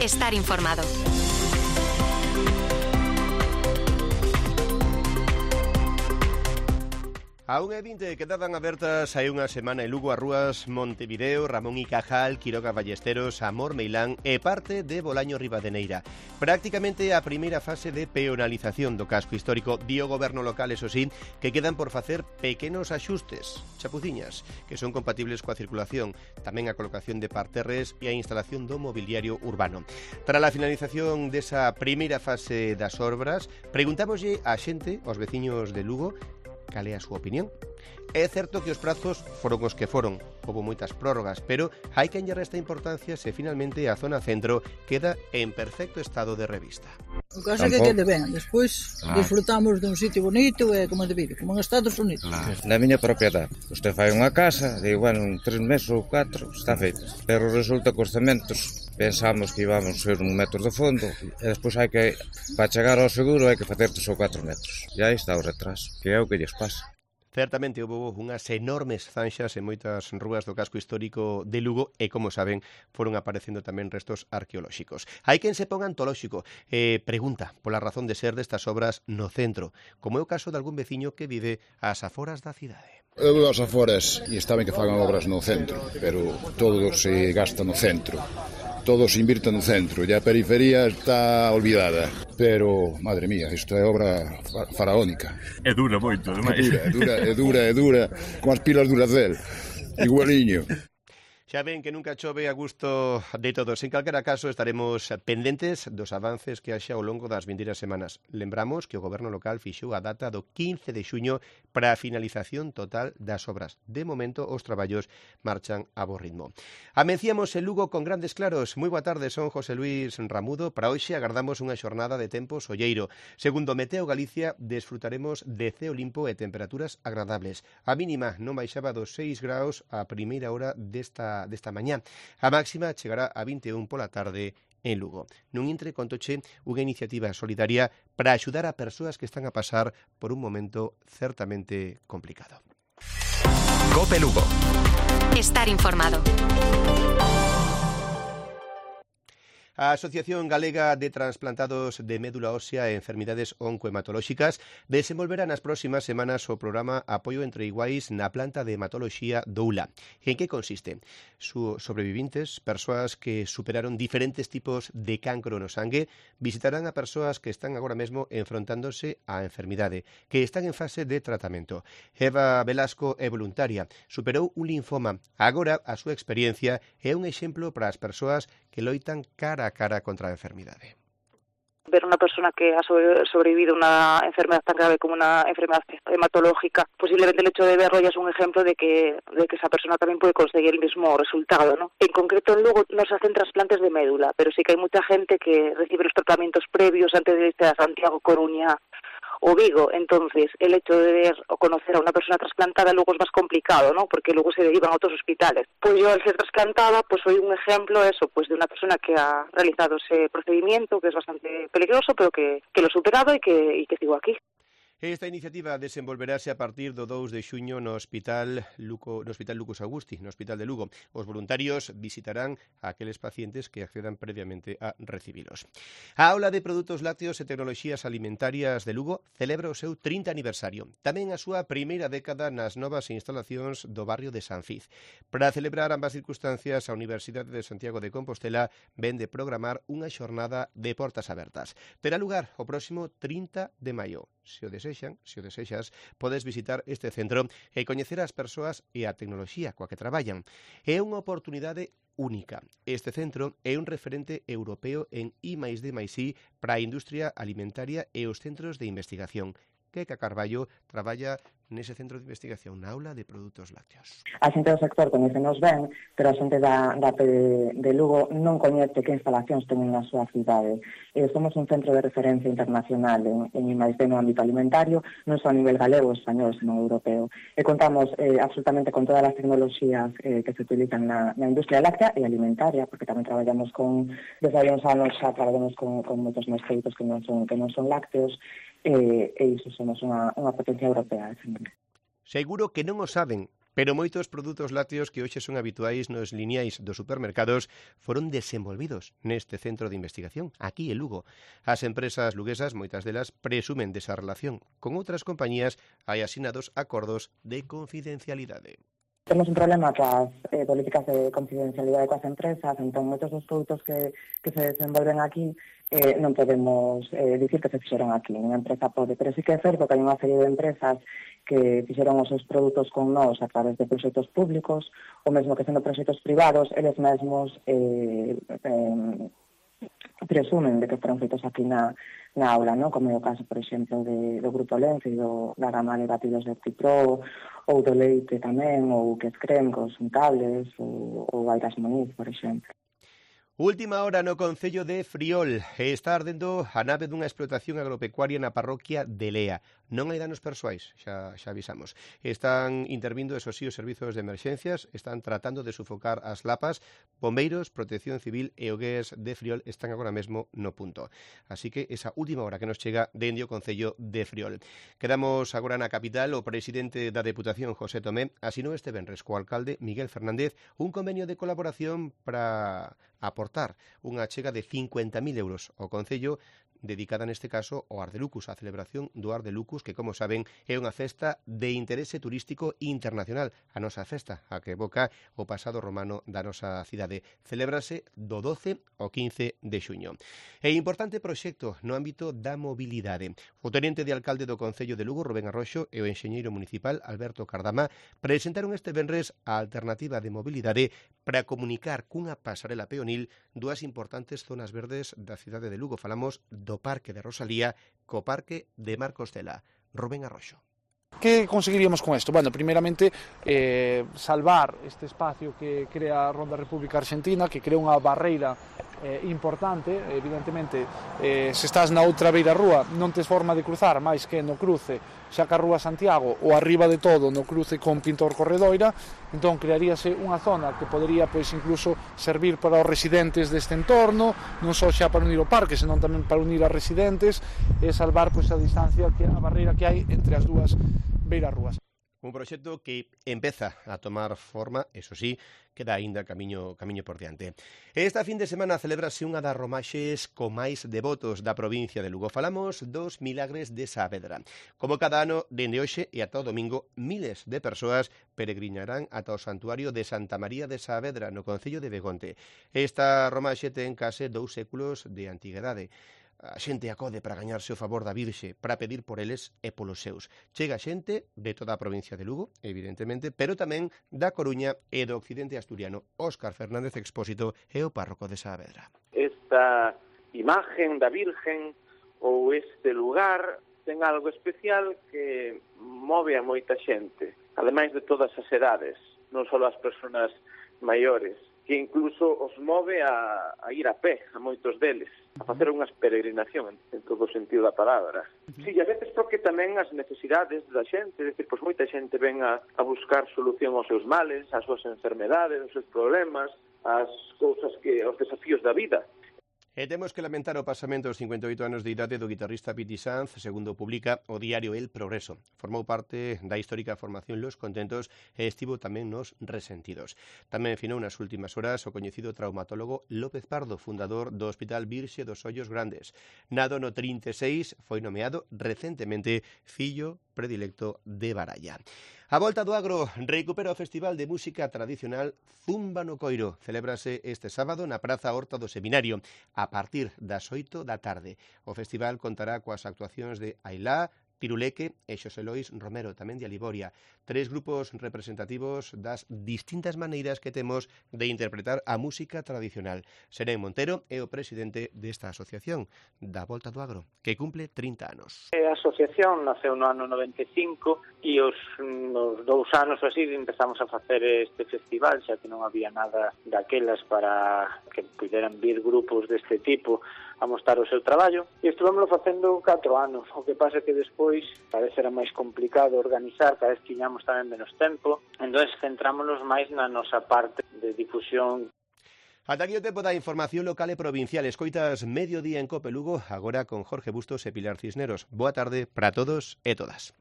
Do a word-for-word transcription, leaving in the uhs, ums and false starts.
Estar informado. A unha e vinte quedaban abertas hai unha semana en Lugo as rúas Montevideo, Ramón y Cajal, Quiroga Ballesteros, Amor Meilán e parte de Bolaño Ribadeneira. Prácticamente a primeira fase de peonalización do casco histórico. Di o goberno local, eso sí, que quedan por facer pequenos axustes, chapuciñas, que son compatibles coa circulación, tamén a colocación de parterres e a instalación do mobiliario urbano. Tras a finalización desa primeira fase das obras, preguntámoslle á xente, aos veciños de Lugo, cal é a súa opinión. É certo que os prazos foron os que foron, houve moitas prórrogas, pero hai que enllar esta importancia se finalmente a zona centro queda en perfecto estado de revista. O caso é que quede ben, despois claro, disfrutamos dun sitio bonito e como debido, como en Estados Unidos. Claro. Na miña propiedade, usted fai unha casa, de igual en tres meses ou catro, está feito, pero resulta que os cementos pensamos que íbamos ser un metro de fondo e despois hai que, para chegar ao seguro hai que facer tres ou catro metros, e aí está o retraso, que é o que lles pasa. Certamente houve unhas enormes zanxas en moitas rúas do casco histórico de Lugo e, como saben, foron aparecendo tamén restos arqueolóxicos. Hai quen se ponga antolóxico e pregunta pola razón de ser destas obras no centro, como é o caso de algún veciño que vive ás aforas da cidade. Eu vivo ás aforas e está ben que fagan obras no centro, pero todo se gasta no centro. Todo se invirte no centro e a periferia está olvidada. Pero, madre mía, isto é obra faraónica. É dura moito, ademais. É dura, é dura, é dura, con as pilas Duracell, igualiño. Xa ven que nunca chove a gusto de todos. En calquera caso, estaremos pendentes dos avances que haxa ao longo das vindeiras semanas. Lembramos que o goberno local fixou a data do quince de xuño para a finalización total das obras. De momento, os traballos marchan a bo ritmo. Amenciamos en Lugo con grandes claros. Moi boa tarde, son José Luis Ramudo. Para hoxe agardamos unha xornada de tempo solleiro. Segundo Meteo Galicia, desfrutaremos de ceo limpo e temperaturas agradables. A mínima non baixaba dos seis graus a primeira hora desta desta mañá. A máxima chegará a vinte e un pola tarde en Lugo. Nun intre contoche unha iniciativa solidaria para axudar a persoas que están a pasar por un momento certamente complicado. Cope Lugo. Estar informado. A Asociación Galega de Transplantados de Médula Ósea e Enfermidades Oncohematolóxicas desenvolverá nas próximas semanas o programa Apoio entre Iguais na planta de hematoloxía do U L A. En que consiste? Su sobrevivintes, persoas que superaron diferentes tipos de cancro no sangue, visitarán a persoas que están agora mesmo enfrontándose á enfermidade, que están en fase de tratamento. Eva Velasco é voluntaria, superou un linfoma. Agora a súa experiencia é un exemplo para as persoas que loitan cara a cara contra a enfermidade. Ver unha persona que ha sobrevivido a unha enfermedad tan grave como unha enfermedad hematológica, posiblemente el hecho de verlo ya es un ejemplo de que, de que esa persona también puede conseguir el mismo resultado, ¿no? En concreto, luego no se hacen trasplantes de médula, pero sí que hay mucha gente que recibe los tratamientos previos antes de irse a Santiago, Coruña o Vigo. Entonces, el hecho de ver o conocer a una persona trasplantada luego es más complicado, ¿no? Porque luego se derivan a otros hospitales. Pues yo, al ser trasplantada, pues soy un ejemplo, eso, pues de una persona que ha realizado ese procedimiento, que es bastante peligroso, pero que, que lo he superado y que, y que sigo aquí. Esta iniciativa desenvolverase a partir do dous de xuño no Hospital Luco, no Hospital Lucas Augusti, no Hospital de Lugo. Os voluntarios visitarán a aqueles pacientes que accedan previamente a recibilos. A Aula de Produtos Lácteos e Tecnoloxías Alimentarias de Lugo celebra o seu trinta aniversario. Tamén a súa primeira década nas novas instalacións do barrio de San Fiz. Para celebrar ambas circunstancias, a Universidade de Santiago de Compostela ven de programar unha xornada de portas abertas. Terá lugar o próximo trinta de maio. Se o desexan, se o desexas, podes visitar este centro e coñecer as persoas e a tecnoloxía coa que traballan. É unha oportunidade única. Este centro é un referente europeo en I máis D máis I para a industria alimentaria e os centros de investigación. Queca Carballo traballa nese centro de investigación na Aula de Produtos Lácteos. A xente do sector coñecenos ben, pero a xente da, da P de, de Lugo non coñece que instalacións teñen na súa cidade. Eh, somos un centro de referencia internacional en, en I máis D no ámbito alimentario, non só a nivel galego, español, senón europeo. E contamos eh, absolutamente con todas as tecnoloxías eh, que se utilizan na, na industria láctea e alimentaria, porque tamén traballamos con, desde hai uns anos xa traballamos con, con moitos máis produtos que non son, que non son lácteos, e, e iso somos unha, unha potencia europea. Seguro que non o saben, pero moitos produtos lácteos que hoxe son habituais nos lineais dos supermercados foron desenvolvidos neste centro de investigación, aquí en Lugo. As empresas luguesas, moitas delas, presumen desa relación. Con outras compañías hai asinados acordos de confidencialidade. Temos un problema coas eh, políticas de confidencialidade coas empresas, entón moitos dos produtos que, que se desenvolven aquí eh, non podemos eh, dicir que se fixeron aquí, ninguna empresa pode, pero sí que é certo que hai unha serie de empresas que fixeron os seus produtos con nós a través de proxectos públicos, ou mesmo que sendo proxectos privados, eles mesmos eh, eh, presumen de que foron feitos aquí na, na aula, ¿no? Como é o caso, por exemplo, de, do Grupo Lenze e do, da gama de batidos de Cipro, ou do leite tamén, ou que es creme, cos untables, ou, ou Airas Moniz, por exemplo. Última hora no concello de Friol. Está ardendo a nave dunha explotación agropecuaria na parroquia de Lea. Non hai danos persoais, xa, xa avisamos. Están intervindo, eso sí, os servizos de emerxencias, están tratando de sufocar as lapas. Bombeiros, Protección Civil e o Gués de Friol están agora mesmo no punto. Así que esa última hora que nos chega dende o concello de Friol. Quedamos agora na capital. O presidente da Deputación, José Tomé, asinou este venres co alcalde Miguel Fernández un convenio de colaboración para aportar unha achega de cincuenta mil euros ao concello, dedicada neste caso ao Ardelucus, a celebración do Ardelucus, que, como saben, é unha festa de interese turístico internacional, a nosa festa, a que evoca o pasado romano da nosa cidade. Celébrase do doce ao quince de xuño. É importante proxecto no ámbito da mobilidade. O tenente de alcalde do Concello de Lugo, Rubén Arroxo, e o enxeñeiro municipal, Alberto Cardama, presentaron este venres a alternativa de mobilidade para comunicar cunha pasarela peonil dúas importantes zonas verdes da cidade de Lugo. Falamos do Parque de Rosalía co Parque de Marcos Cela. Rubén Arroxo. ¿Qué conseguiríamos con esto? Bueno, primeramente, eh, salvar este espacio que crea a Ronda República Argentina, que crea unha barreira eh, importante. Evidentemente, eh, se estás na outra beira rúa, non tes forma de cruzar, máis que no cruce xa ca Rúa Santiago ou arriba de todo no cruce con Pintor Corredoira. Entón, crearíase unha zona que podería, pois, incluso servir para os residentes deste entorno, non só xa para unir o parque, senón tamén para unir a residentes e salvar, pois, a distancia, que a barreira que hai entre as dúas beiras rúas. Un proxecto que empeza a tomar forma, eso sí, queda aínda camiño, camiño por diante. Esta fin de semana celebrase unha das romaxes co máis devotos da provincia de Lugo. Falamos dos Milagres de Saavedra. Como cada ano, dende hoxe e ata o domingo, miles de persoas peregrinarán ata o santuario de Santa María de Saavedra, no concello de Begonte. Esta romaxe ten case dous séculos de antiguidade. A xente acode para gañarse o favor da Virxe, para pedir por eles e polos seus. Chega xente de toda a provincia de Lugo, evidentemente, pero tamén da Coruña e do occidente asturiano. Óscar Fernández Expósito é o párroco de Saavedra. Esta imagen da Virgen ou este lugar ten algo especial que move a moita xente, ademais de todas as edades, non só as persoas maiores, que incluso os move a, a ir a pé, a moitos deles, a facer unhas peregrinación en, en todo o sentido da palabra. Si, sí, a veces porque tamén as necesidades da xente, é dicir, pois moita xente ven a, a buscar solución aos seus males, ás súas enfermedades, aos seus problemas, as cousas que, os desafíos da vida. E temos que lamentar o pasamento aos cincuenta e oito anos de idade do guitarrista Piti Sanz, segundo publica o diario El Progreso. Formou parte da histórica formación Los Contentos e estivo tamén nos Resentidos. Tamén finou nas últimas horas o coñecido traumatólogo López Pardo, fundador do Hospital Virxe dos Ollos Grandes. Nado no trinta e seis, foi nomeado recentemente fillo predilecto de Baralla. A volta do agro recupera o Festival de Música Tradicional Zumba no Coiro. Celébrase este sábado na Praza Horta do Seminario a partir das oito da tarde. O festival contará coas actuacións de Ailá, Tiruleque e Xosé Lois Romero, tamén de Aliboria. Tres grupos representativos das distintas maneiras que temos de interpretar a música tradicional. Serén Montero é o presidente desta asociación da Volta do Agro, que cumple trinta anos. A asociación naceu no ano noventa e cinco e os, nos dous anos así empezamos a facer este festival, xa que non había nada daquelas para que puderan vir grupos deste tipo a mostrar o seu traballo, e estuvemos facendo catro anos. O que pasa que despois parece era máis complicado organizar, cada vez tiñamos tamén menos tempo, entón centrámonos máis na nosa parte de difusión. Ata aquí o tempo da información local e provincial. Escoitas Mediodía en Cope Lugo, agora con Jorge Bustos e Pilar Cisneros. Boa tarde para todos e todas.